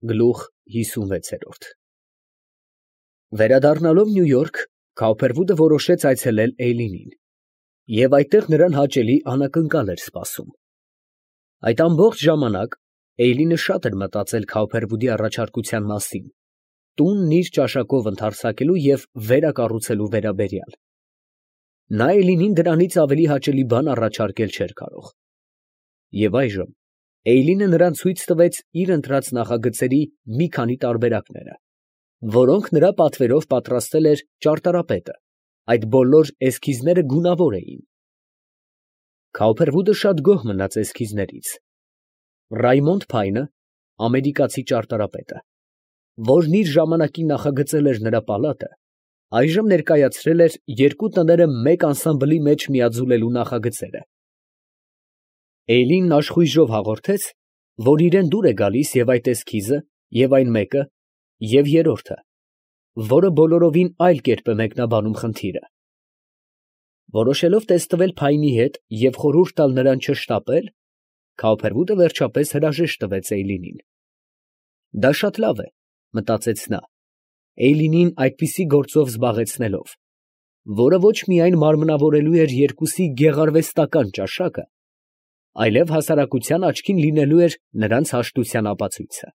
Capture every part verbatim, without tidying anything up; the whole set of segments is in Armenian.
Գլուխ հիսունվեցերորդ Վերադառնալով Նյու Յորք, Քաուփերվուդը որոշեց այցելել Էյլինին, և այդտեղ նրան հաճելի անակնկալ էր սպասում։ Այդ ամբողջ ժամանակ Էյլինը շատ էր մտածել Քաուփերվուդի առաջարկության մասին, տունն իր ճաշակով ընդարձակելու և վերակառուցելու վերաբերյալ։ Նա Էյլինին դրանից ավելի հաճելի բան առաջարկել չէր կարող։ Եվ այժմ Էյլինը նրան ցույց տվեց իր ընտրած նախագծերի մի քանի տարբերակները, որոնք նրա պատվերով պատրաստել էր ճարտարապետը, այդ բոլոր էսքիզները գունավոր էին։ Քաուփերվուդը շատ գոհ մնաց էսքիզներից։ Ռայմոնդ Փայնը, ամերիկացի ճարտարապետը, որն իր ժամանակին նախագծել էր նրա պալատը, այժմ ներկայացրել էր երկու տները մեկ անսամբլի մեջ միաձուլելու նախագծերը։ Էյլինն աշխույժով հաղորդեց, որ իրան դուր է գալիս և այդ էսքիզը, և այն մեկը, և երրորդը, որը բոլորովին այլ կերպ է մեկնաբանում խնդիրը։ Որոշելով տեստվել Փայնի հետ և խորհուրդ տալ նրան չշտապել, Քաուփերվուդը վերջապես հրաժեշտ տվեց Էյլինին։ Դա շատ լավ է, մտածեց նա, Էյլինին այդպիսի գործով զբաղեցնելով, որը ոչ միայն մարմնավորելու էր երկուսի գեղարվեստական ճաշակը, այլև հասարակության աչքին լինելու էր նրանց հաշտության ապացույցը։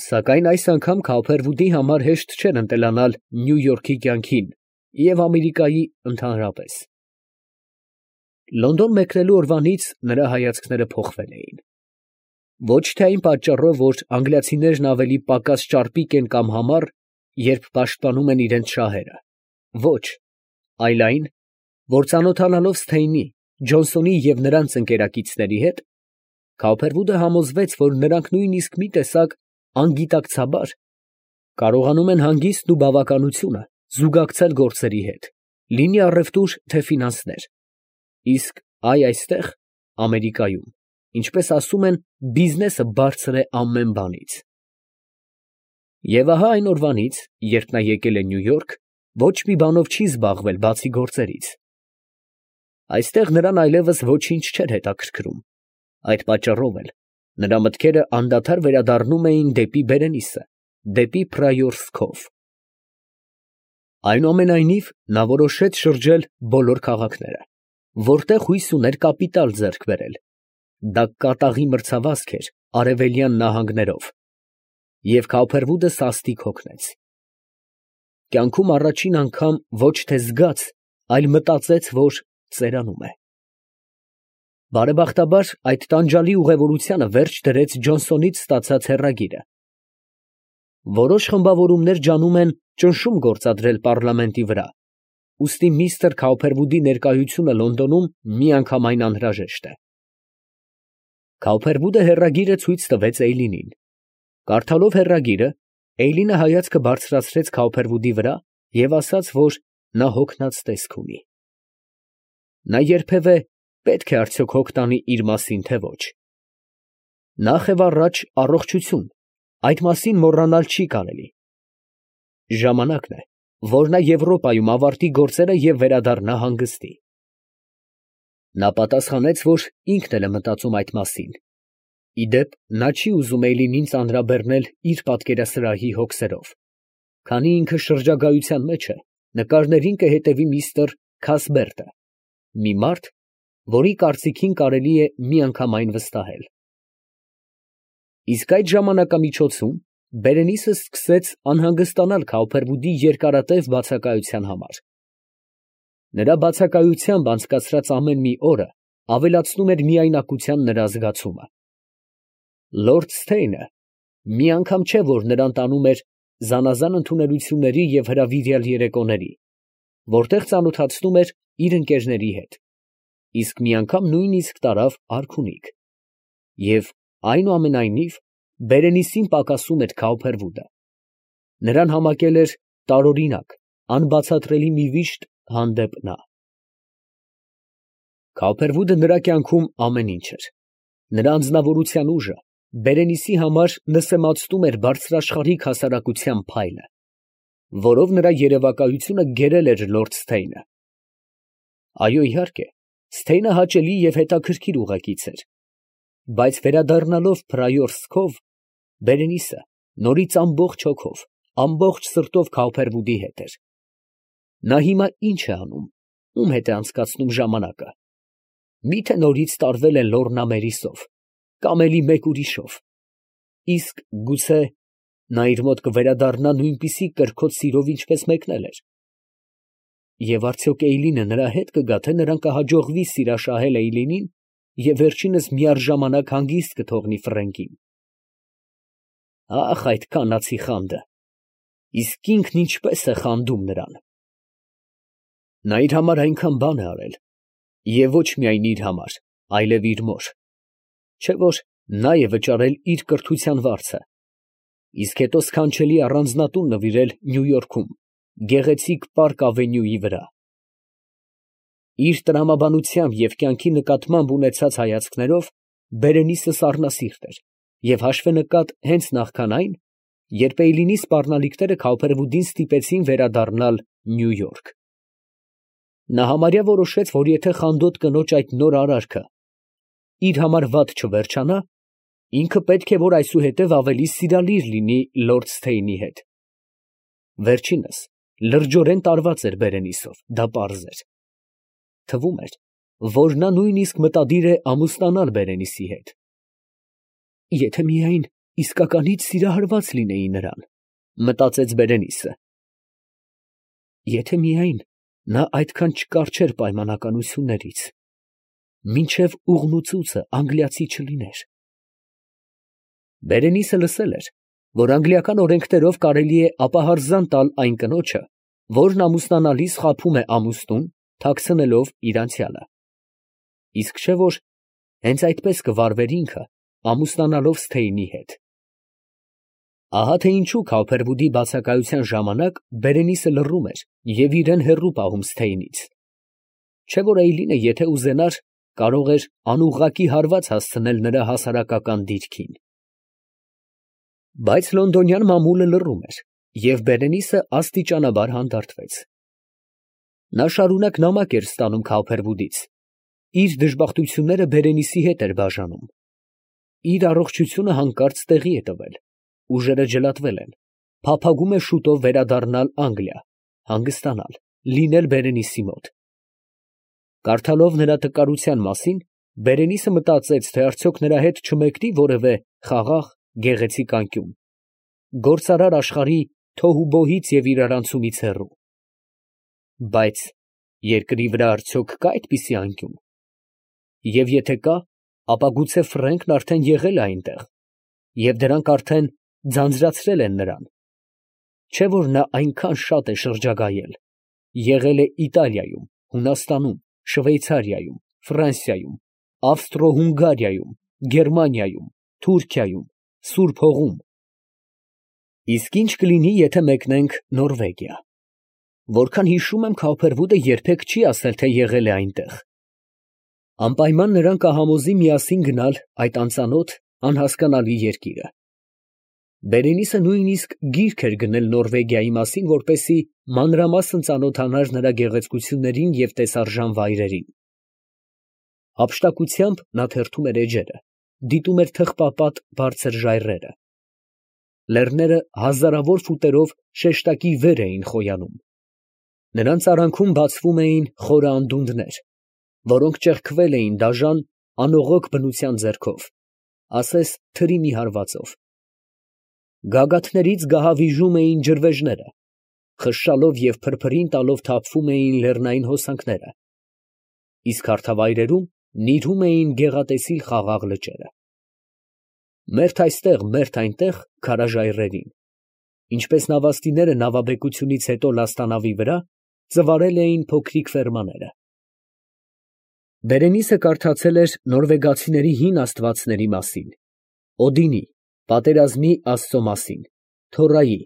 Սակայն այս անգամ Քաուփերվուդի համար հեշտ չէր ընտելանալ Նյու Յորքի կյանքին և Ամերիկայի ընդհանրապես։ Լոնդոն մեկնելու օրվանից նրա հայացքները փոխվել էին։ Ոչ թե այն պատճառով, որ անգլիացիներն ավելի պակաս ճարպիկ են կամ համառ, երբ պաշտպանում են իրենց շահերը, ոչ, այլ այն, որ ծանոթանալով Սթեյնի, Ջոնսոնի և նրանց ընկերակիցների հետ, Քաուփերվուդը համոզվեց, որ նրանք նույնիսկ մի տեսակ անգիտակցաբար կարողանում են հանգիստն ու բավականությունը զուգակցել գործերի հետ, լինի առևտուր, թե ֆինանսներ, իսկ այ այստեղ, Ամերիկայում, ինչպես ասում են, բիզնեսը բարձր է ամեն բանից։ Եվ ահա այն օրվանից, երբ նա եկել է Նյու Յորք, ոչ մի բանով չի զբաղվել, բացի գործերից։ Այստեղ նրան այլևս ոչինչ չէր հետաքրքրում, այդ պատճառով էլ նրա մտքերը անդադար վերադառնում էին դեպի Բերենիսը, դեպի Պրայորս Քով։ Այնուամենայնիվ, նա որոշեց շրջել բոլոր քաղաքները, որտեղ հույս ուներ կապիտալ ձեռք բերել. դա կատաղի մրցավազք էր արևելյան նահանգներով, և Քաուփերվուդը սաստիկ հոգնեց։ Կյանքում առաջին անգամ ոչ թե զգաց, այլ մտածեց, որ ծերանում է։ Բարեբախտաբար, այդ տանջալի ուղևորությանը վերջ դրեց Ջոնսոնից ստացած հեռագիրը։ Որոշ խմբավորումներ ջանում են ճնշում գործադրել պառլամենտի վրա, ուստի միստր Քաուփերվուդի ներկայությունը Լոնդոնում միանգամայն անհրաժեշտ է։ Քաուփերվուդը հեռագիրը ցույց տվեց Էյլինին։ Կարդալով հեռագիրը, Էյլինը հայացքը բարձրացրեց Քաուփերվուդի վրա և ասաց, որ նա հոգնած տեսք ունի։ Նա երբևէ պետք է արդյոք հոգ տանի իր մասին, թե ոչ։ Նախ և առաջ առողջություն, այդ մասին մոռանալ չի կարելի։ Ժամանակն է, որ նա Եվրոպայում ավարտի գործերը և վերադառնա հանգստի։ Նա պատասխանեց, որ ինքն էլ է մտածում այդ մասին։ Ի դեպ, նա չի ուզում Էյլինին ծանրաբեռնել իր պատկերասրահի հոգսերով, քանի ինքը շրջագայության մեջ է, նկարներին կհետևի միստր Քասբերտը, մի մարդ, որի կարծիքին կարելի է միանգամայն վստահել։ Իսկ այդ ժամանակամիջոցում Բերենիսը սկսեց անհանգստանալ Քաուփերվուդի երկարատև բացակայության համար։ Նրա բացակայությամբ անցկացրած ամեն մի օրը ավելացնում էր միայնակության նրա զգացումը։ Լորդ Սթեյնը մի անգամ չէ, որ նրան տանում էր զանազան ընդունելությունների և հրավիրյալ երեկոների, որտեղ ծանոթացնում էր իր ընկերների հետ, իսկ մի անգամ նույնիսկ տարավ արքունիք, և այնուամենայնիվ Բերենիսին պակասում էր Քաուփերվուդը։ Նրան համակել էր տարօրինակ, անբացատրելի մի վիշտ հանդեպ նա։ Քաուփերվուդը նրա կյանքում ամեն ինչ էր։ Նրա անձնավորության ուժը Բերենիսի համար նսեմացնում էր բարձրաշխարհիկ հասարակության փայլը, որով նրա երևակայությունը գերել էր լորդ Սթեյնը։ Այո, իհարկե, Սթեյնը հաճելի և հետաքրքիր ուղեկից էր, բայց վերադառնալով Պրայորս Քով, Բերենիսը նորից ամբողջ հոգով, ամբողջ սրտով Քավփերվուդի հետ էր։ Նա հիմա ի՞նչ է անում, ում հետ է անցկացնում ժամանակը։ Մի՞թե նորից տարվել է Լոռնա Մերիսով, կամ էլի մեկ ուրիշով, իսկ գուցե նա իր մոտ կվերադառնա նույնպիսի կրքոտ սիրով, ինչպես մեկնել էր։ Եվ արդյոք Էյլինը նրա հետ կգա, թե նրան կհաջողվի սիրաշահել Էյլինին և վերջինս միառժամանակ հանգիստ կթողնի Ֆրենկին։ Ախ, այդ կանացի խանդը, իսկ ինքն ինչպես է խանդում նրան։ Նա իր համար այնքան բան է արել, և ոչ միայն իր համար, այլև իր մոր, չէ՞ որ նա է վճարել իր կրթության վարձը, իսկ հետո սքանչելի առանձնատուն նվիրել Նյու Յորքում, գեղեցիկ Պարկ Ավենյուի վրա։ Իր տրամաբանությամբ և կյանքի նկատմամբ ունեցած հայացքներով Բերենիսը սառնասիրտ էր և հաշվենկատ հենց նախքան այն, երբ Էյլինի սպառնալիքները Քավփերվուդին ստիպեցին վերադառնալ Նյու Յորք։ Նա համարյա որոշեց, որ եթե խանդոտ կնոջ այդ նոր արարքը իր համար վատ չվերջանա, ինքը պետք է որ այսուհետև ավելի սիրալիր լինի լորդ Սթեյնի հետ։ Վերջինս լրջորեն տարված էր Բերենիսով, դա պարզ էր։ Թվում էր, որ նա նույնիսկ մտադիր է ամուսնանալ Բերենիսի հետ։ Եթե միայն իսկականից սիրահարված լինեի նրան, մտածեց Բերենիսը։ Եթե միայն նա այդքան չկառչեր պայմանականություններից, մինչև ուղղնուցուցը անգլիացի չլիներ։ Բերենիսը լսել էր, որ անգլիական օրենքներով կարելի է ապահարզան տալ այն կնոջը, որն ամուսնանալիս խաբում է ամուսնուն, թաքցնելով իր անցյալը։ Իսկ չէ՞ որ հենց այդպես կվարվեր ինքը, ամուսնանալով Սթեյնի հետ։ Ահա թե ինչու Քավփերվուդի բացակայության ժամանակ Բերենիսը լռում էր և իրան հեռու պահում Սթեյնից։ Չէ՞ որ Էյլինը, եթե ուզենար, կարող էր անուղղակի հարված հասցնել նրա հասարակական դիրքին։ Բայց լոնդոնյան մամուլը լռում էր, և Բերենիսը աստիճանաբար հանդարտվեց։ Նա շարունակ նամակ էր ստանում Քավփերվուդից, իր դժբախտությունները Բերենիսի հետ էր բաժանում։ Իր առողջությունը հանկարծ տեղի է տվել, ուժերը ջլատվել են, փափագում է շուտով վերադառնալ Անգլիա, հանգստանալ, լինել Բերենիսի մոտ։ Կարդալով նրա տկարության մասին, Բերենիսը մտածեց, թե արդյոք նրա հետ չմեկնի որևէ խաղաղ, գեղեցիկ անկյուն, գործարար աշխարհի թոհուբոհից և իրարանցումից հեռու։ Բայց երկրի վրա արդյոք կա այդպիսի անկյուն։ Եվ եթե կա, ապա գուցե Ֆրենկն արդեն եղել է այնտեղ, և դրանք արդեն ձանձրացրել են նրան։ Չէ՞ որ նա այնքան շատ է շրջագայել, եղել է Իտալիայում, Հունաստանում, Շվեյցարիայում, Ֆրանսիայում, Ավստրո֊Հունգարիայում, Գերմանիայում, Թուրքիայում, Սուրբ Հողում։ Իսկ ինչ կլինի, եթե մեկնենք Նորվեգիա։ Որքան հիշում եմ, Քավփերվուդը երբեք չի ասել, թե եղել է այնտեղ։ Անպայման նրան կհամոզի միասին գնալ այդ անծանոթ, անհասկանալի երկիրը։ Բերենիսը նույնիսկ գիրք էր գնել Նորվեգիայի մասին, որպեսզի մանրամասն ծանոթանար նրա գեղեցկություններին և տեսարժան վայրերին։ Հափշտակությամբ նա թերթում էր էջերը, դիտում էր թխպապատ բարձր ժայռերը։ Լեռները հազարավոր ֆուտերով շեշտակի վեր էին խոյանում։ Նրանց արանքում բացվում էին խորը անդունդներ, որոնք ճեղքվել էին դաժան, անողոք բնության ձեռքով, ասես թրի մի հարվածով։ Գագաթներից գահավիժում էին ջրվեժները, խշշալով և փրփրին տալով թափվում էին լեռնային հոսանքները, իսկ հարթավայրերում նիրհում էին գեղատեսիլ խաղաղ լճերը։ Մերթ այստեղ, մերթ այնտեղ քարաժայռերին, ինչպես նավաստիները նավաբեկությունից հետո լաստանավի վրա, ծվարել էին փոքրիկ ֆերմաները։ Բերենիսը կարդացել էր նորվեգացիների հին աստվածների մասին, Օդինի, պատերազմի աստծո մասին, Թորայի,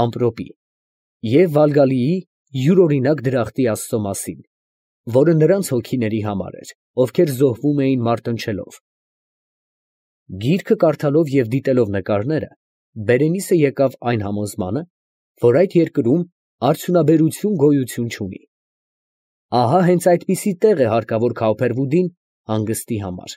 ամպրոպի և Վալգալիի յուրօրինակ դրախտի աստծո մասին, որը նրանց հոգիների համար էր, ովքեր զոհվում էին մարտնչելով։ Գիրքը կարդալով և դիտելով նկարները, Բերենիսը եկավ այն համոզմանը, որ այդ երկրում արդյունաբերություն գոյություն չունի։ Ահա հենց այդպիսի տեղ է հարկավոր Քավփերվուդին հանգստի համար։